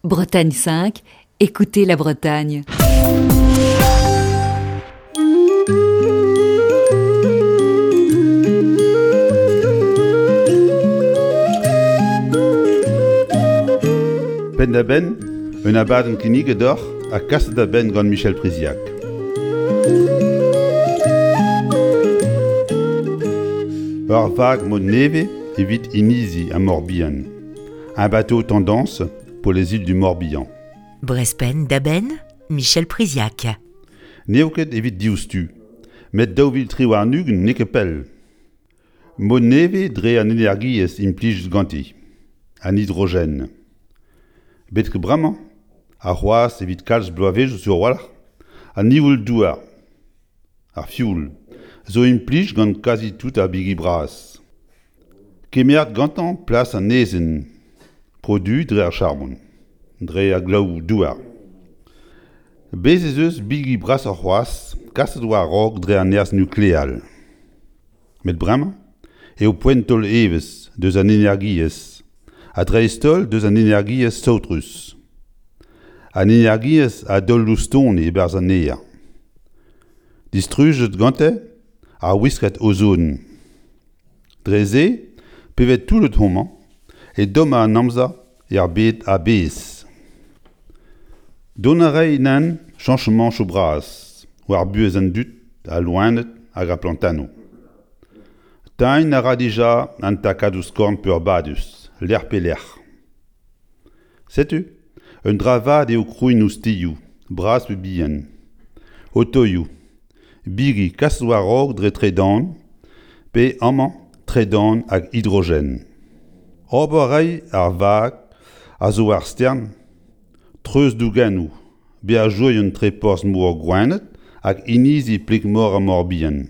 Bretagne 5, écoutez la Bretagne. Penn-da-benn, un abadenn kinniget deoc'h ha kaset da benn gant Michel Priziac. Ur vag mod nevez evit inizi ha Morbihan. Un bateau tendance pour les îles du Morbihan. Brest penn-da-benn, Michel Priziac. N'eo ket evit diouzhtu, met 2023 n'eo ket pell. Mod nevez dre an energiezh implijet ganti, an hidrogen. Betek bremañ, ha c'hoazh evit kalz bloavezhioù sur-walc'h, an nivoull-douar, ar fioul, zo implij gant kazi tout ar bigi bras. Kemeret gantañ plas an aezhenn produ dre ar charbon, dre ar glaou-douar. Bez' ez eus bigi brasoc'h c'hoazh kaset war-raok dre an nerzh nukleel. Met bremañ eo poent taol evezh deus an energiezh ha dreist-holl deus an energiezh saotrus. An energiezh a daol loustoni e-barzh an aer. Distrujet gante ar wiskad ozon. Dre-se, pe vez toullet homañ, e domma an amzer er bed a-bezh. Dont a ray nann cheñchamantoù bras war buhez an dud, al loened hag ar plantennoù. Tagañ a ra dija an takadoù skorn peurbadus, lec'h pe lec'h. Setu, un dra vat eo krouiñ oustilhoù, bras pe bihan, otoioù, bigi kaset war-raok dre tredan pe amañ tredan hag hidrogen. Ober a ray ar vag a zo war stern treuzdougennoù beajourien tre porzh-mor Gwened hag inizi Pleg-mor ar Mor-Bihan.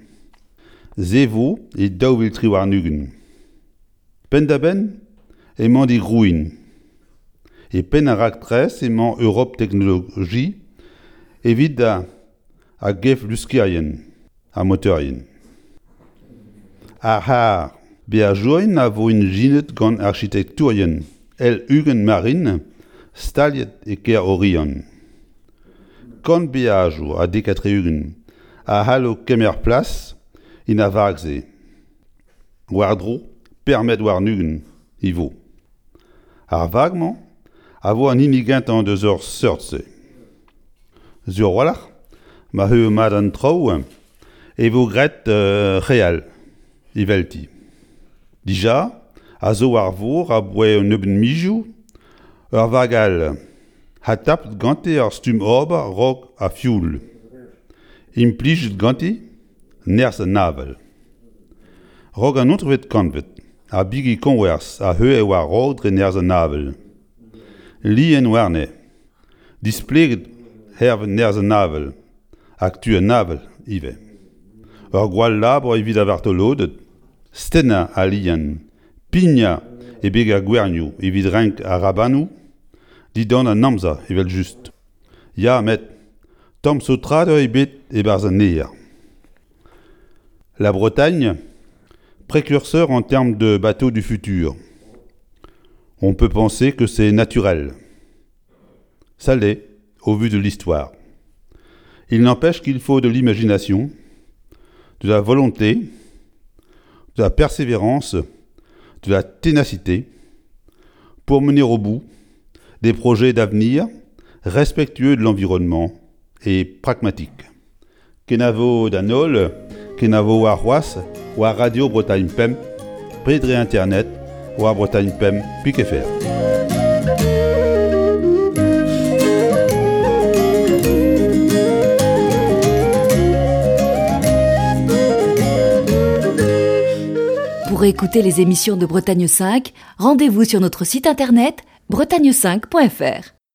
Se 'vo e 2023. Penn-da-benn emañ digrouiñ. E penn ar raktres emañ Europe Technologie evit ar gefluskerien ha motorien. Ar c'harr beajourien a vo ijinet gant arkitektourien L20 Marine staliet e kêr Oriant. Kant beajour ha 70 a c'hallo kemer plas en ar vag-se. War-dro permet warn-ugent e vo. Ar vag-mañ a vo an hini gentañ deus ur seurt-se. Sur a-walc'h, ma c'heu mat an traoù e vo graet re all evelti. Dija a zo war vor aboae un nebeud mizioù ur vag all ha tapet gante ur stumm ober 'raok ar fioul. Implijet ganti nerzh an avel. Raok an naontekvet kantved, ar bigi koñwerzh a c'heuilh war-raok dre nerzh an avel. Lien warne, displeget hervez nerzh an avel hag tu an avel ivez. Ur gwall labour evit ar vartoloded, stennañ al lien, pignañ e beg ar gwernioù evit renk ar rabanoù dindan an amzer evel-just. Ya met tamm saotradur ebet e-barzh an aer. La Bretagne, précurseur en termes de bateaux du futur. On peut penser que c'est naturel. Ça l'est, au vu de l'histoire. Il n'empêche qu'il faut de l'imagination, de la volonté, de la persévérance, de la ténacité pour mener au bout des projets d'avenir respectueux de l'environnement et pragmatiques. Kenavo d'an holl, kenavo warc'hoazh war Radio Bretagne Pemp, pe dre internet war Bretagne Pemp pik.fr. Pour écouter les émissions de Bretagne 5, rendez-vous sur notre site internet bretagne5.fr.